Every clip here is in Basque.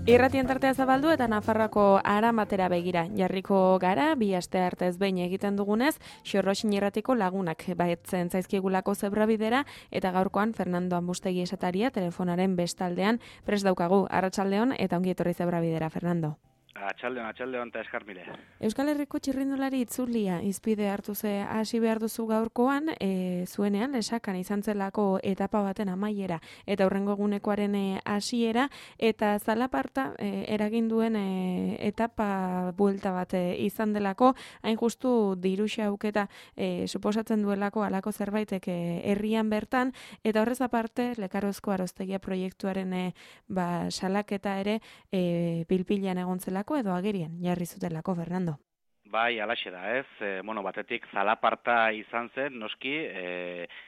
Irratien tartea zabaldu eta Nafarroako Aramatera begira jarriko gara, bi aste artez behin egiten dugunez, Xorroxin irratiko lagunak baetzen zaizkigulako zebrabidera eta gaurkoan Fernando Ambustegi esataria telefonaren bestaldean prest daukagu. Arratsaldeon eta ongi etorri zebrabidera, Fernando. Atxaldeon eta eskarmile. Euskal Herriko txirrindulari itzulia izpide hartu ze hasi behar duzu gaurkoan, zuenean lesakan izan zelako etapa baten amaiera eta hurrengo egunekoaren hasiera eta zalaparta eragin duen etapa buelta bat izan delako, hain justu diruxa auketa suposatzen duelako halako zerbaitek herrian bertan, eta horrez aparte Lekarozko Aroztegia proiektuaren salaketa ere pilpilan egon zelako edo agerian jarri zutelako, Fernando. Bai, alaxe da, ez? Batetik zalaparta izan zen, noski,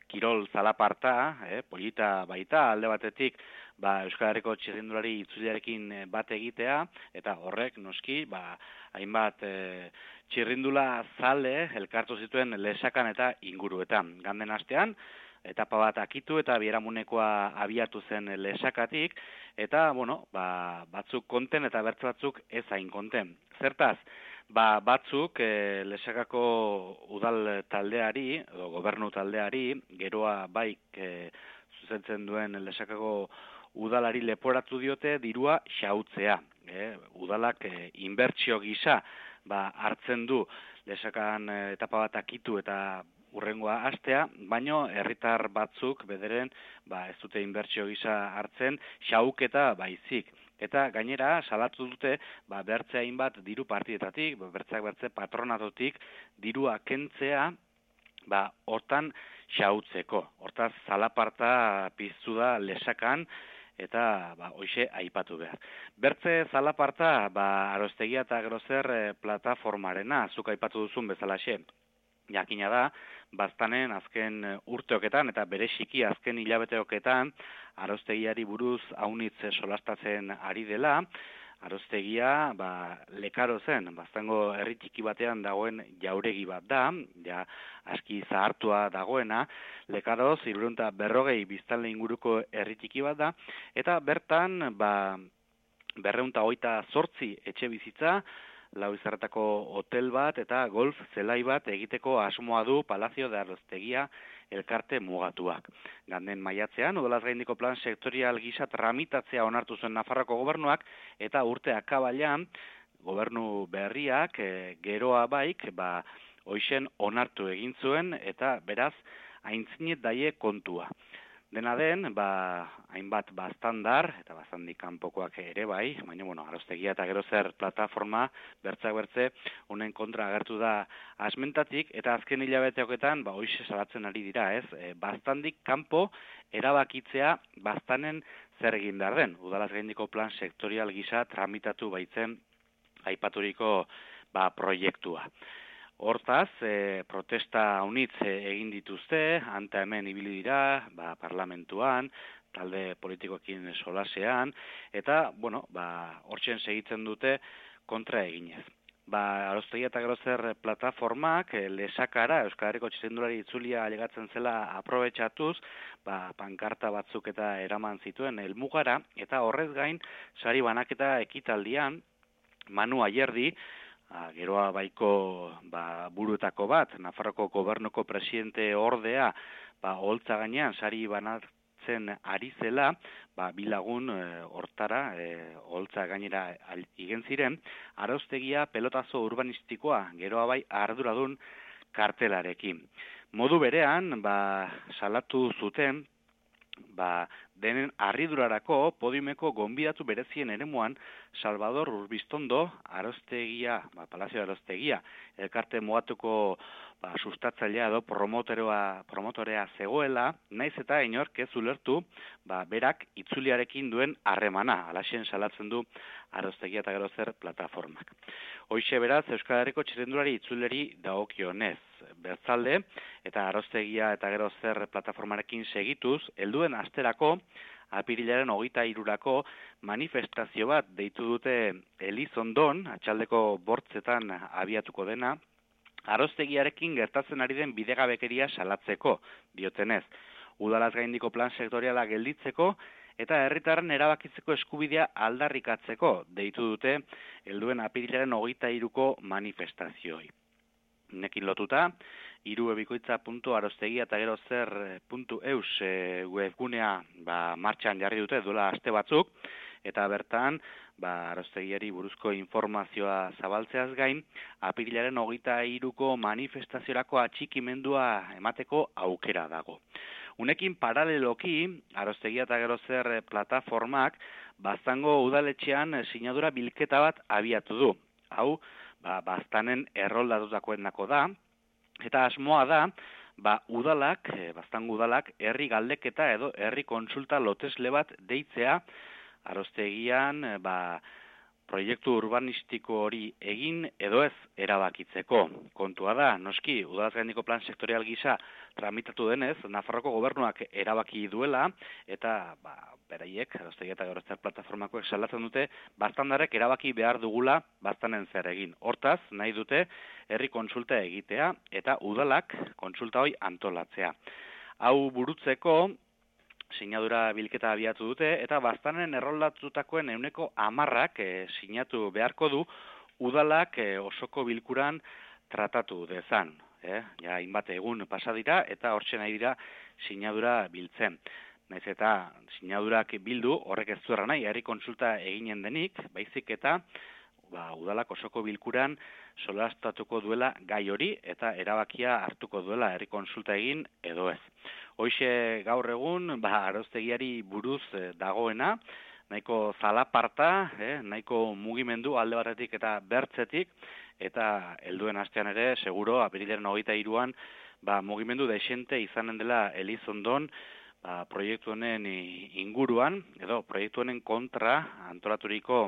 kirol zalaparta, polita baita, alde batetik, Euskal Herriko txirrindulari itzuliarekin bat egitea, eta horrek, noski, hainbat txirrindula zale elkartu zituen lesakan eta inguruetan. Ganden astean, etapa bat akitu eta biharamunekoa abiatu zen lesakatik, eta, batzuk konten eta bertze batzuk ez hain konten. Zertaz, batzuk lesakako udal taldeari, edo gobernu taldeari, geroa baik zuzentzen duen lesakako udalari leporatu diote dirua xautzea. Udalak inbertsio gisa hartzen du lesakan etapa bat akitu eta urrengoa hastea, baino herritar batzuk bederen ez dute inbertsio gisa hartzen, xauketa baizik. Eta gainera salatu dute bertze hainbat diru partidetatik, bertze patronatotik dirua kentzea hortan xautzeko. Hortaz zalaparta piztu da lesakan eta hoixe aipatu behar. Bertze zalaparta Aroztegia eta Grozer plataformarena, zuk aipatu duzun bezalaxe. Jakina da, baztanen azken urteoketan eta bereziki azken hilabeteoketan Aroztegiari buruz aunitz solastatzen ari dela. Aroztegia Lekarozen, baztango herri txiki batean dagoen jauregi bat da, aski zahartua dagoena. Lekaroz 340 biztanle inguruko herri txiki bat da, eta bertan 228 etxe bizitza, 4 izarretako hotel bat eta golf zelai bat egiteko asmoa du Palazio de Aroztegia elkarte mugatuak. Ganden maiatzean, udalaz gaindiko plan sektorial gisa tramitatzea onartu zuen Nafarroako gobernuak, eta urte akabailan gobernu berriak geroa baik hoixen onartu egin zuen eta beraz aintzinet daie kontua. Dena den, hainbat baztandar, eta baztandik kanpokoak ere bai, baina, Aroztegia eta Grozer plataforma, bertze, honen kontra agertu da asmentatik, eta azken hilabeteoketan, hoize salatzen ari dira, ez? Baztandik kanpo erabakitzea baztanen zer egin behar den. Udalaz gaindiko plan sektorial gisa tramitatu baitzen aipaturiko proiektua. Hortaz, protesta haunitz egin dituzte, anta hemen ibili dira, parlamentuan, talde politikoekin solasean, eta, hortzen segitzen dute kontra eginez. Aroztegia eta Grozer plataformak lesakara Euskal Herriko txirrindulari itzulia alegatzen zela aprobetxatuz, pankarta batzuk eta eraman zituen helmugara, eta horrez gain, sari banaketa ekitaldian, Manu Ayerdi, geroa baiko buruetako bat, Nafarroko gobernuko presidente ordea, holtza gainean sari banatzen ari zela, bilagun hortara, holtza gainera igen ziren, Aroztegia pelotazo urbanistikoa, geroa bai arduradun kartelarekin. Modu berean, salatu zuten, denen harridurarako podiumeko gonbidatu berezien eremuan Salvador Urbiztondo, Aroztegia, Palazio de Aroztegia, elkarte mugatuko sustatzailea edo promotorea zegoela, naiz eta inork ez ulertu, berak itzuliarekin duen harremana, alaxen salatzen du Aroztegia eta Grozer plataformak. Hoixe beraz, Euskal Herriko txirrindulari itzuleri dagokionez. Bertzalde, eta Aroztegia eta Grozer plataformarekin segituz, helduen asterako, apirilaren 23rako manifestazio bat deitu dute Elizondon, atxaldeko bortzetan abiatuko dena, Aroztegiarekin gertatzen ari den bidegabekeria salatzeko, diotenez. Udalaz gaindiko plan sektoriala gelditzeko, eta herritarren erabakitzeko eskubidea aldarrikatzeko deitu dute helduen apirilaren 23ko manifestazioi. Nekin lotuta, irubebikoitza.arostegia eta gero zer.eus webgunea martxan jarri dute duela aste batzuk, eta bertan, arostegiari buruzko informazioa zabaltzeaz gain, apirilaren 23ko manifestaziorako atxikimendua emateko aukera dago. Unekin paraleloki, arostegia eta gero zer plataformak, Baztango udaletxean sinadura bilketa bat abiatu du. Hau, Baztanen erroldatutakoenako da, eta asmoa da, udalak, Baztango udalak, herri galdeketa edo herri kontsulta lotesle bat deitzea, arostegian, proiektu urbanistiko hori egin edo ez erabakitzeko. Kontua da, noski, udalaz gaineko plan sektorial gisa tramitatu denez, Nafarroko gobernuak erabaki duela, eta beraiek, arostegia eta gero zer plataformakoek salatzen dute, baztandarek erabaki behar dugula baztanen zer egin. Hortaz, nahi dute herri kontsulta egitea eta udalak kontsulta hori antolatzea. Hau burutzeko, sinadura bilketa abiatu dute, eta baztanen erroldatutakoen 10% sinatu beharko du udalak osoko bilkuran tratatu dezan. Ja, hainbat egun pasa dira, eta hortxe nahi dira sinadura biltzen. Naiz eta sinadurak bildu, horrek ez duera nahi, herri kontsulta eginen denik, baizik eta udalak osoko bilkuran solastatuko duela gai hori, eta erabakia hartuko duela herri kontsulta egin edo ez. Hoixe gaur egun, arostegiari buruz dagoena, nahiko zalaparta, nahiko mugimendu alde batetik eta bertzetik, eta helduen astean ere, seguro, apirilaren 23an, mugimendu desente izanen dela Elizondon, proiektu honen inguruan, edo proiektu honen kontra antolaturiko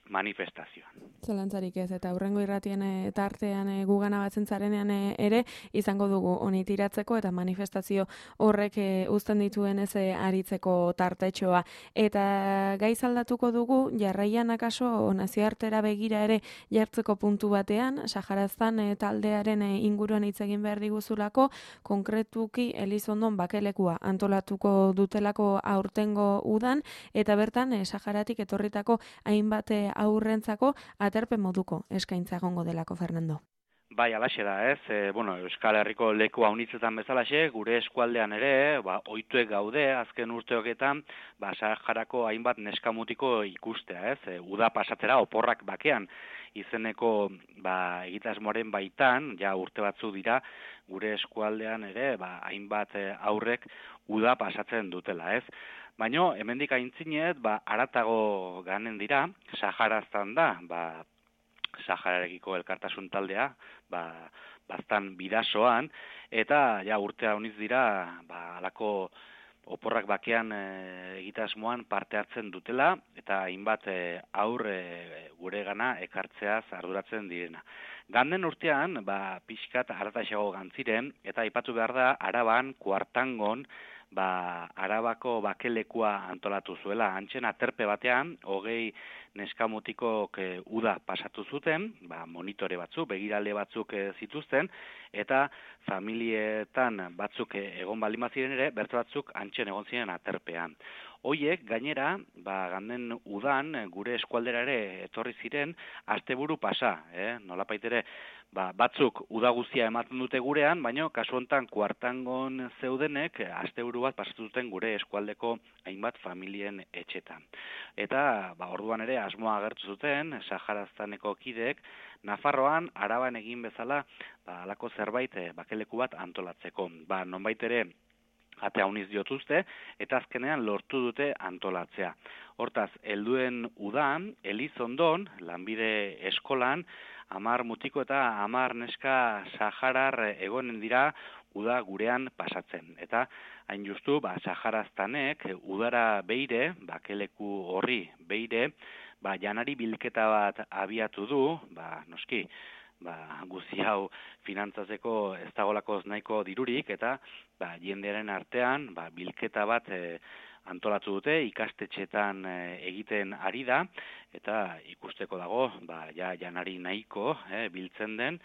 manifestazioan. Zalantzarik ez, eta hurrengo irratien tartean gugana batzen zarenean ere, izango dugu honi tiratzeko eta manifestazio horrek uzten dituen ez aritzeko tartetxoa. Eta gaiz aldatuko dugu, jarraian akaso nazioartera begira ere jartzeko puntu batean, Saharaztan taldearen inguruan hitz egin behar diguzulako, konkretuki Elizondon bakelekua antolatuko dutelako aurtengo udan, eta bertan Saharatik etorritako hainbat aurrentzako aterpe moduko eskaintza egongo delako, Fernando. Bai, alaxe da, ez? Euskal Herriko leku haunitzetan bezalaxe, gure eskualdean ere, ohituek gaude, azken urteoketan, Saharako hainbat neskamutiko ikustea, ez? Uda pasatzera, oporrak bakean, izeneko egitasmoaren baitan, ja urte batzu dira, gure eskualdean ere, hainbat aurrek uda pasatzen dutela, ez? Baina, hemendik aintzinet, haratago ganen dira, Saharaztan da, Sahararekiko elkartasun taldea, baztan bidasoan, eta ja urtea honiz dira, alako oporrak bakean egitasmoan parte hartzen dutela, eta hainbat gure gana ekartzeaz arduratzen direna. Ganden urtean, pixkat harataxago gantziren, eta aipatu behar da, Araban, Kuartangon, Arabako bakelekua antolatu zuela. Antxen aterpe batean, 20 neskamutikok uda pasatu zuten, monitore batzuk, begirale batzuk zituzten, eta familietan batzuk egon balima ziren ere, bertu batzuk antxen egon ziren aterpean. Hoiek, gainera, ganden udan, gure eskualdera ere etorri ziren, asteburu pasa, nolapait ere, batzuk uda guztia ematen dute gurean, baina kasu hontan Kuartangon zeudenek asteburu bat pasatu duten gure eskualdeko hainbat familien etxetan. Eta orduan ere asmoa agertu zuten Saharaztaneko kideek Nafarroan Araban egin bezala halako zerbait bakeleku bat antolatzeko. Nonbait ere ate hauniz diotuzte, eta azkenean lortu dute antolatzea. Hortaz, helduen udan, Elizondon, lanbide eskolan, 10 mutiko eta 10 neska saharar egonen dira uda gurean pasatzen. Eta hain justu, Saharaztanek udara beire, bakeleku horri beire, janari bilketa bat abiatu du, noski, guzi hau finantzatzeko ez dagolako nahiko dirurik, eta jendearen artean bilketa bat antolatu dute, ikastetxetan egiten ari da, eta ikusteko dago, janari nahiko biltzen den,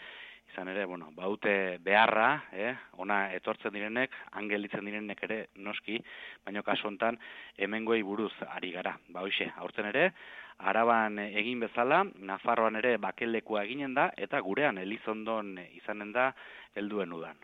izan ere, baute beharra, ona etortzen direnek, angelitzen direnek ere noski, baina kasu hontan hemengoei buruz ari gara. Hoixe, aurten ere, Araban egin bezala, Nafarroan ere bakelekua eginen da, eta gurean Elizondon izanen da helduen udan.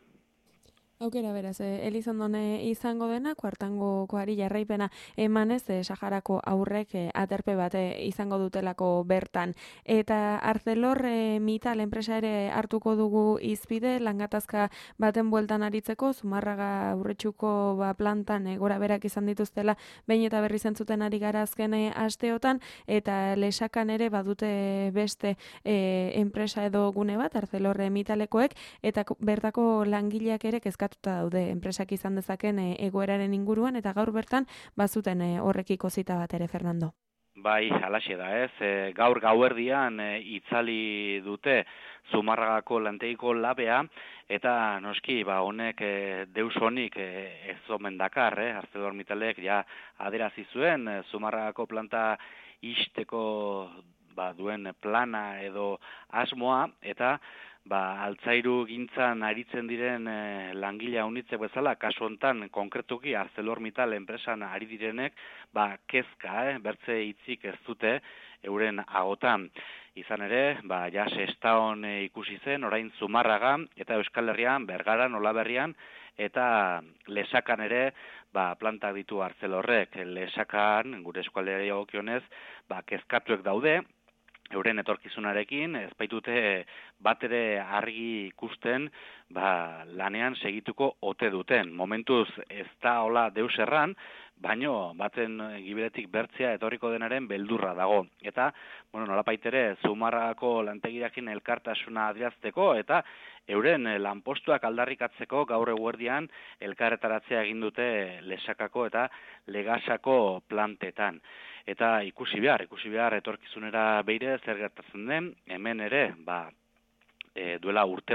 Aukera beraz, Elizondon izango dena, kuartangokoari jarraipena emanez, Saharako aurrek aterpe bat izango dutelako bertan. Eta ArcelorMittal enpresa ere hartuko dugu izpide, langatazka baten bueltan aritzeko, Zumarraga aurretxuko plantan gora berak izan dituztela, behin eta berri zentzuten ari gara azken asteotan, eta Lesakan ere badute beste enpresa edo gune bat, ArcelorMittalekoek, eta bertako langileak ere kezkatuta daude enpresak izan dezaken egoeraren inguruan, eta gaur bertan bazuten horrekiko zita bat ere, Fernando. Bai, halaxe da ez. Gaur gauerdian itzali dute Zumarragako lantegiko labea, eta noski, honek deus honik ez omen dakar, ArcelorMittalek ja aderazi zuen Zumarragako planta ixteko duen plana edo asmoa, eta altzairu gintzan aritzen diren langilea unitzek bezala, kasu hontan konkretuki ArcelorMittal enpresan ari direnek, kezka, bertze hitzik ez dute euren agotan. Izan ere, ja Sestaon ikusi zen, orain Zumarraga, eta Euskal Herrian, Bergaran, Olaberrian, eta Lesakan ere, plantak ditu Arcelorrek. Lesakan, gure eskualdeari dagokionez, kezkatuek daude, euren etorkizunarekin, ez baitute bat ere argi ikusten lanean segituko ote duten. Momentuz ez da hola deus erran, baino baten giberetik bertzea etorriko denaren beldurra dago. Eta, nolapait ere, Zumarragako lantegirakin elkartasuna adierazteko eta euren lanpostuak aldarrikatzeko gaur eguerdian elkarretaratzea egin dute Lesakako eta Legasako plantetan. Eta ikusi behar etorkizunera beire zer gertatzen den, hemen ere, duela urte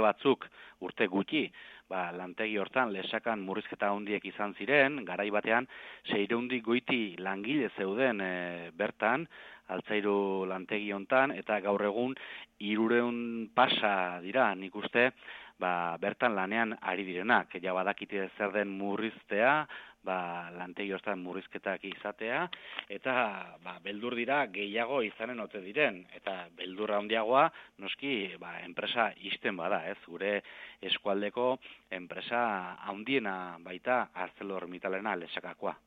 gutxi, lantegi hortan Lesakan murrizketa handiek izan ziren, garai batean 600 goiti langile zeuden bertan, altzairu lantegi hontan, eta gaur egun 300 pasa dira, nik uste, bertan lanean ari direnak. Ja badakite zer den murriztea, lantegi hortan murrizketak izatea, eta beldur dira gehiago izanen ote diren, eta beldurra handiagoa noski enpresa ixten bada, ez? Gure eskualdeko enpresa handiena baita ArcelorMittalena Lesakakoa.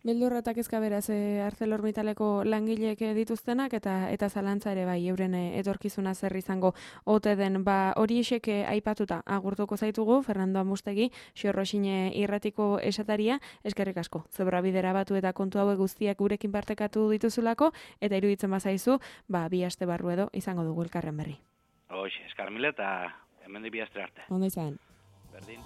Beldurra eta kezka beraz ArcelorMittaleko langileek dituztenak eta zalantza ere euren etorkizuna zer izango ote den. Hori esek aipatuta agurtuko zaitugu, Fernando Amustegi, Xorroxine irratiko esataria, eskerrik asko. Zebrabidera batu eta kontu hauek guztiak gurekin partekatu dituzulako, eta iruditzen bazaizu, 2 aste barru edo izango dugu elkarren berri. Eskar mila eta hemen 2 aste arte. Ondo izan. Berdin.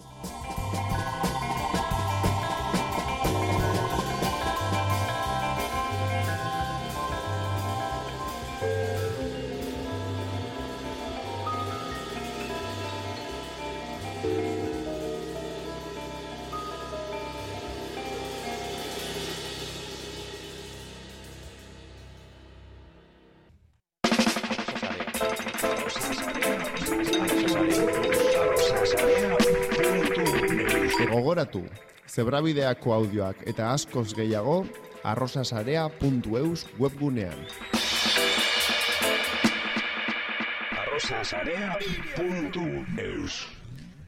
Gogoratu, Zebrabideako audioak eta askoz gehiago arrosasarea.eus webgunean. arrosasarea.eus